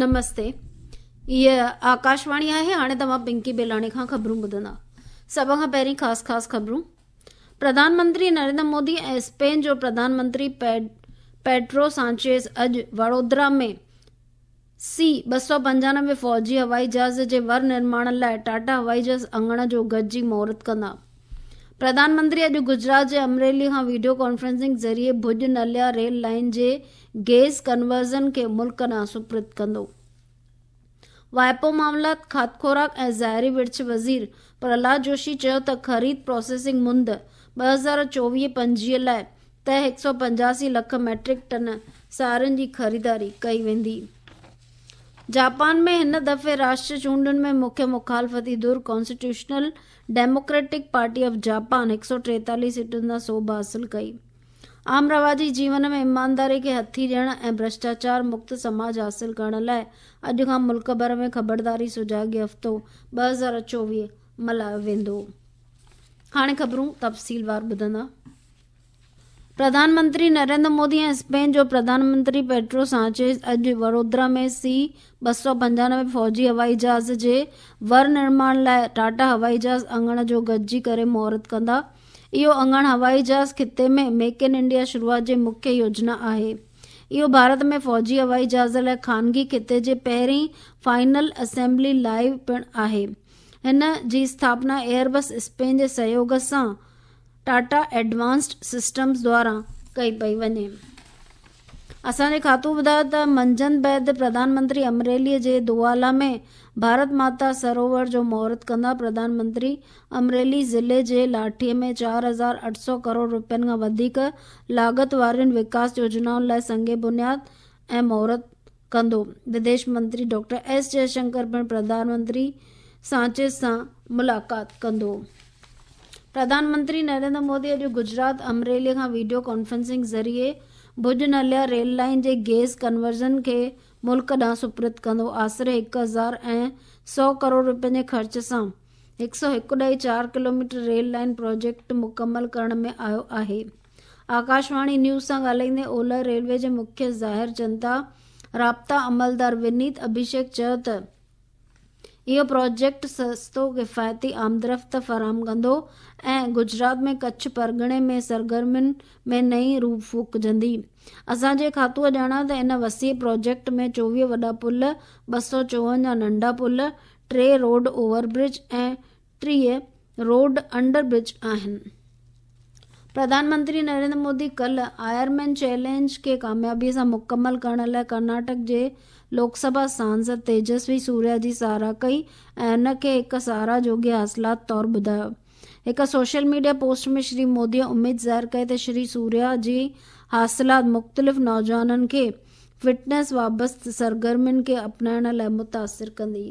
نمستي هيء آڪاشواڻي آهي هاڻي توهان پنڪي بيلاڻي کان خبرون ٻڌندا سڀ کان پهرين خاص خاص خبرون پرڌان منتري نريندر مودي ۽ اسپين جو پرڌان منتري پيڊرو سانچيز اڄ وڙودرا ۾ سي 295 فوجي هوائي جهاز جي ور نرماڻ لاء ٽاٽا هوائي جهاز اڱڻ جو گڏجي مهورت ڪندا پرڌان منتري اڄ گجرات جي امريلي کان وڊيو ڪانفرنسنگ ذريعي ڀڄ نليا ريل لائين جي گيس ڪنورزن کي ملڪ ڏانهن سپرد ڪندو. واهپو معاملات، کاڌ خوراڪ ۽ ظاهري ورڇ وزير پرهلاد جوشي چيو ته خريد پراسيسنگ مند 2024 25 لاء طئي 185 لک ميٽرڪ ٽن سارين جي خريداري ڪئي ويندي. جاپان ۾ هن دفعي راشٽري چونڊن ۾ مکيه مخالفتي ڌر constitutional democratic party of Japan 143 سيٽن تان سوڀ حاصل ڪئي. عام رواجي جيون ۾ ايمانداري کي هٿي ڏيڻ ۽ ڀرشٽاچار مڪت سماج حاصل ڪرڻ لاء اڄ کان ملڪ ڀر ۾ خبرداري سجاڳي هفتو 2024 ملهايو ويندو. هاڻي خبرون تفصيلوار ٻڌندا. پرڌان منتري نريندر مودي ۽ اسپين جو پرڌان منتري پيڊرو سانچيز اڄ وڙودرا ۾ سي 295 فوجي هوائي جهاز جي ور نرماڻ لاء ٽاٽا هوائي جهاز اڱڻ جو گڏجي ڪري مهورت ڪندا. اهو اڱڻ هوائي جهاز خطي ۾ ميڪ ان انڊيا شروعات جي مکيه يوجنا آهي. اهو ڀارت ۾ فوجي هوائي جهاز لاء خانگي خطي جي پهرين فائنل اسيمبلي لائين پڻ آهي. هن جي اسٿاپنا ايئربس اسپين جي سهيوڳ سان ٽاٽا ايڊوانسڊ سسٽمز دواران ڪئي پئي وڃي. اسان جي کاتو ٻڌايو ته منجهند بعد پرڌان منتري امريلي جي دوالا ۾ ڀارت ماتا سروور جو مهورت ڪندا. پرڌان منتري امريلي ضلعي جي لاٺي ۾ 4800 ڪروڙ رپين کان وڌيڪ لاڳت وارين وڪاس يوجنائن لاء سنگ بنياد ۽ مهورت ڪندو. وديش منتري ڊاڪٽر ايس جئشنڪر پڻ پرڌان منتري سانچيز سان ملاقات ڪندو. پرڌان منتري نريندر مودي اڄ گجرات امريلي کان وڊيو ڪانفرنسنگ ذريعي ڀڄ نليا ريل لائين جي گيس ڪنورزن کي ملڪ ڏانهن سپرد ڪندو. آسري 1100 ڪروڙ رپين جي خرچ سان 101.4 ڪلوميٽر ريل لائين پروجيڪٽ مڪمل ڪرڻ ۾ آيو آهي. آڪاشواڻي نيوز سان ڳالهائيندي اولهه ريلوي جي مکيه ظاهر جنتا رابطا عملدار ونيت اڀيشيڪ چيو ته اهو پروجيڪٽ سستو ڪفايتي آمدرفت فراهم ڪندو ۽ گجرات ۾ ڪڇ پرڳڻي ۾ سرگرمين ۾ نئين روح ڦوڪجندي. اسان جي کاتوء ڄاڻايو ته ان وسيع پروجيڪٽ ۾ 24 وڏا پل، 254 ننڍا پل، ٽي road over bridge ۽ 30 road under bridge آهن. پرڌان منتري نريندر مودي ڪلهه آئر مين چئلينج کي ڪاميابي سان مڪمل ڪرڻ لاء ڪرناٽڪ جي لوڪ سڀا سانسد تيجسوي سوريا جي ساراهه ڪئي ۽ ان کي هڪ ساراهه جوڳي حاصلات طور ٻڌايو. هڪ social media post ۾ Shri Modi اميد ظاهر ڪئي ته شري سوريا جي حاصلات مختلف نوجوانن کي فٽنس وابسته سرگرمين کي اپنائڻ لاء متاثر ڪندي.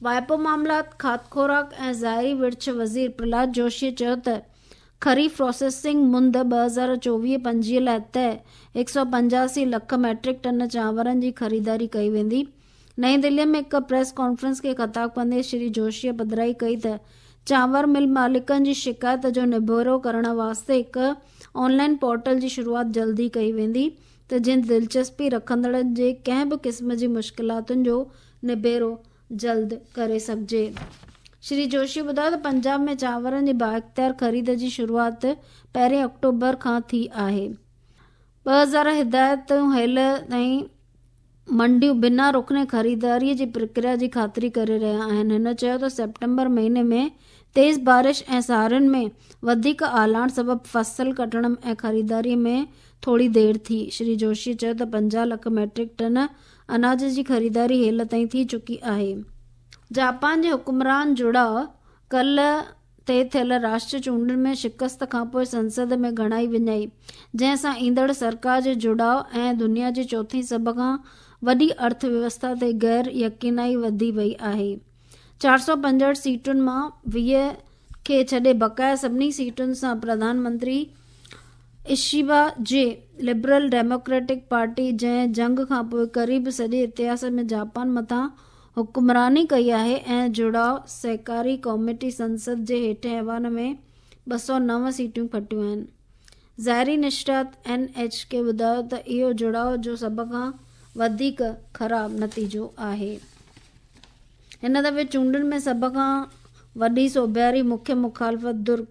واهپو معاملات، کاڌ خوراڪ ۽ ظاهري ورڇ وزير پرهلاد جوشي چيو ته خريف پراسيسنگ مند 2024 25 لاء طئي 185 لک ميٽرڪ ٽن چانورن جي خريداري ڪئي ويندي. نئين دهلي ۾ هڪ پريس ڪانفرنس کي خطاب ڪندي شري جوشيء پڌرائي ڪئي ته چانور مل مالڪن جي شڪايت جو نبيرو ڪرڻ واسطي هڪ آن لائن پورٽل جي شروعات جلد ئي ڪئي ويندي ته جيئن دلچسپي رکندڙن جي ڪنهن به قسم جي مشڪلاتن جو نبيرو جلد ڪري سگهجي. شري جوشي ٻڌايو ته پنجاب ۾ چانورن جي بااختيار خريد جي شروعات پهرين آڪٽوبر کان ٿي آهي. 2000 هدايتون هيل تائين منڊيون بنا رخني خريداري جي پرڪريا جي خاطري ڪري رهيا آهن. هن چيو ته سيپٽمبر مهيني ۾ تيز بارش ۽ سارين ۾ وڌيڪ آلاڻ سبب فصل ڪٽڻ ۽ خريداري ۾ ٿوري دير ٿي. شري جوشي چيو ته 50 لک ميٽرڪ ٽن اناج جي خريداري هيل تائين ٿي چڪي آهي. جاپان جي حڪمران جڙاء ڪلهه تي ٿيل راشٽري چونڊن ۾ شڪست کانپوء سنسد ۾ گهڻائي وڃائي، جنهن سان ايندڙ سرڪار جي جڙاء ۽ دنيا جي چوٿين سڀ کان وڏي ارٿ ويوسٿا تي غير يقينائي وڌي وئي آهي. 465 سيٽن مان 20 کي ڇڏي بقايا سڀني سيٽن سان پرڌان منتري اشيبا جي لبرل ڊيموڪريٽڪ پارٽي جنهن جنگ کانپوء قريب سڄي اتهاس ۾ جاپان مٿان حڪمراني ڪئي آهي ۽ جڙاء سهڪاري ڪاميٽي سنسد جي هيٺين ايوان ۾ 209 سيٽون کٽيون آهن. ظاهري نشريات اين ايڇ ڪي ٻڌايو ته اهو جڙاء جو سڀ کان وڌيڪ خراب نتيجو آهي. هن دفعي چونڊن ۾ سڀ کان وڏي سوڀياري مکيه مخالفت ڌر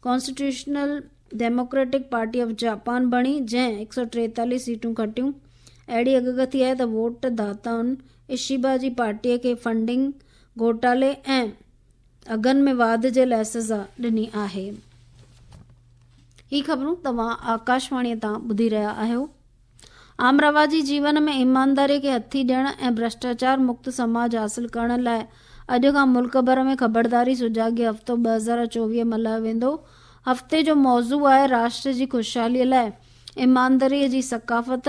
constitutional democratic party of Japan بڻي، جنهن 143 سيٽون کٽيون. اهڙي اڳڪٿي آهي ته ووٽ داتائن اشيبا جي پارٽيء کي فنڊنگ گهوٽالي ۽ اگهن ۾ واڌ جي لاء سزا ڏني آهي. هي خبرون توهان آڪاشواڻيء تان ٻڌي رهيا آهيو. عام رواجي جيون ۾ ايمانداريء کي هٿي ڏيڻ ۽ ڀرشٽاچار مڪت سماج حاصل ڪرڻ لاء اڄ کان ملڪ ڀر ۾ خبرداري سجاڳي هفتو 2024 ملهايو ويندو. هفتي جو موضوع آهي راشٽر جي خوشحاليء لاء ايمانداريء جي ثقافت.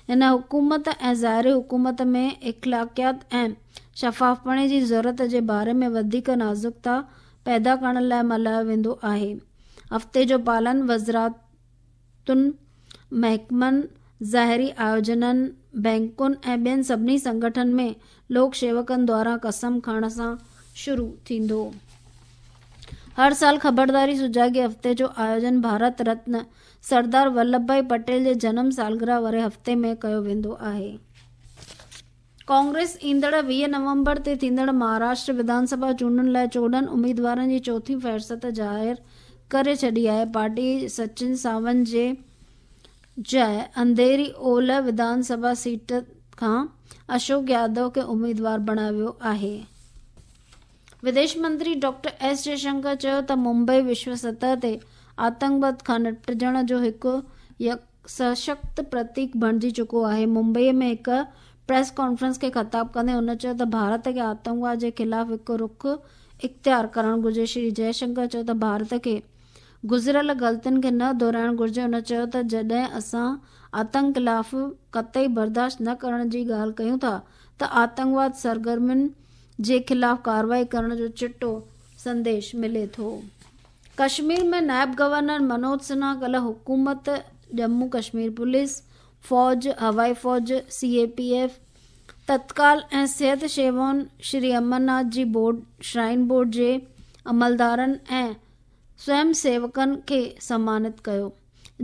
هن حڪومت ۽ ظاهري حڪومت ۾ اخلاقيات ۽ شفافپڻي جي ضرورت جي باري ۾ وڌيڪ نازڪتا پيدا ڪرڻ لاء ملهايو ويندو آهي. هفتي جو پالن وزارتن، محڪمن، ظاهري آيوجنن، بئنڪن ۽ ٻين سڀني سنگٺن ۾ لوڪ شيوڪن دواران قسم کڻڻ سان شروع ٿيندو. هر سال خبرداري سجاڳي هفتي جو آيوجن ڀارت رتن سردار ولڀ ڀائي پٽيل جي جنم سالگرهه واري هفتي ۾ ڪيو ويندو آهي. ڪانگريس ايندڙ 20 نومبر تي ٿيندڙ مهاراشٽر وڌان سڀا چونڊن لاء 14 اميدوارن جي چوٿين فهرست ظاهر ڪري ڇڏي آهي. پارٽي سچن ساونت جي جاء انڌيري اولهه وڌان سڀا سيٽ کان اشوڪ يادو کي اميدوار بڻايو ويو آهي. وديش منتري ڊاڪٽر ايس جئشنڪر چيو ته ممبئي وشو سطح تي آتنڪواد کان نپٽجڻ جو هڪ سشڪت پرتيڪ بڻجي چڪو آهي. ممبئي ۾ هڪ پريس ڪانفرنس کي خطاب ڪندي هن چيو ته ڀارت کي آتنڪواد جي خلاف هڪ رخ اختيار ڪرڻ گهرجي. شري جئشنڪر چيو ته ڀارت کي گذريل غلطين کي نه دهرائڻ گهرجي. هن چيو ته جڏهن اسان آتنڪ خلاف قطعي برداشت نه ڪرڻ جي ڳالهه ڪيون ٿا ته آتنڪواد سرگرمين جي خلاف ڪارروائي ڪرڻ جو چٽو سنديش ملي ٿو. ڪشمير ۾ نائب گورنر منوج سنها ڪلهه حڪومت، ڄمون ڪشمير پوليس، فوج، هوائي فوج، سي اي پي ايف، تتڪال ۽ صحت شيوائن، شري امرناٿ جي بورڊ، شرائن بورڊ جي عملدارن ۽ سوئم سيوڪن کي سمانت ڪيو،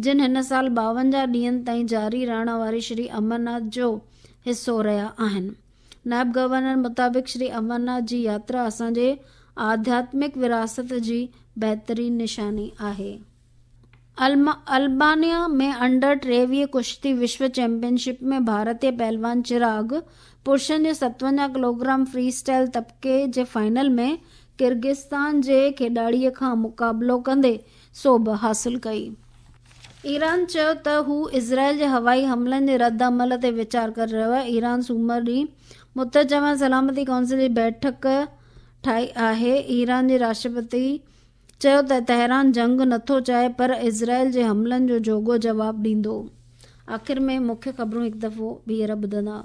جن هن سال 52 ڏينهن تائين جاري رهڻ واري شري امرناٿ جو حصو رهيا آهن. نائب گورنر مطابق شري امرناٿ جي ياترا اسان جي آڌياتمڪ وراثت جي بهترين نشاني آهي. البانيا ۾ انڊر 23 ڪشتي وشو چيمپيئن شپ ۾ ڀارتي پهلوان چراغ پرشن جي 57 ڪلوگرام فري اسٽائل طبقي جي فائنل ۾ ڪرغستان جي کيڏاڙي کان مقابلو ڪندي سوڀ حاصل ڪئي. ايران چيو ته هو اسرائيل جي هوائي حملن جي رد عمل تي ويچار ڪري رهيو آهي. ايران سومر ڏينهن متحده جماعت سلامتي ڪائونسل جي بيٺڪ ٺاهي آهي. ايران جي راشٽرپتي چيو ته تهران جنگ نٿو چاهي پر اسرائيل جي حملن جو جوڳو جواب ڏيندو. آخر ۾ مکيه خبرون هڪ دفعو ٻيهر ٻڌندا.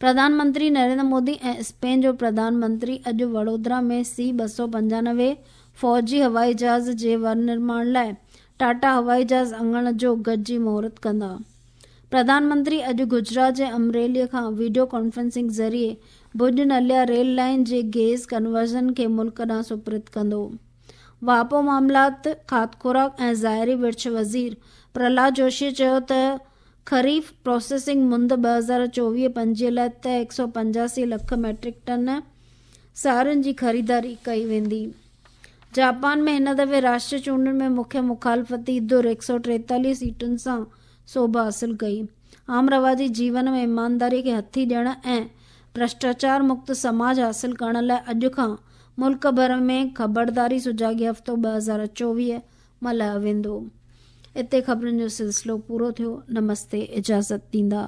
پرڌان منتري نريندر مودي ۽ اسپين جو پرڌان منتري اڄ وڙودرا ۾ سي 295 فوجي هوائي جهاز جي ورنرماڻ لاء ٽاٽا هوائي جهاز اڱڻ جو گڏجي مهورت ڪندا. پرڌان منتري اڄ گجرات جي امريلي کان وڊيو ڪانفرنسنگ ذريعي ڀڄ نليا ريل لائين جي گيس ڪنورزن کي ملڪ ڏانهن سپرد ڪندو. واهپو معاملات، کاڌ خوراڪ ۽ ظاهري ورڇ وزير پرهلاد جوشي چيو ته خريف پراسيسنگ مند 2024-25 لاء طئي 185 لک ميٽرڪ ٽن سارين جي خريداري ڪئي ويندي. جاپان ۾ هن دفعي راشٽري چونڊن ۾ مکيه مخالفتي ڌر 143 سيٽن سان سوڀ حاصل ڪئي. عام رواجي جيون ۾ ايمانداري کي هٿي ڏيڻ ۽ ڀرشٽاچار مڪت سماج حاصل ڪرڻ لاء اڄ کان ملڪ ڀر ۾ خبرداري سجاڳي هفتو 2024 ملهايو ويندو. اتي خبرن جو سلسلو پورو ٿيو. نمستي اجازت ڏيندا.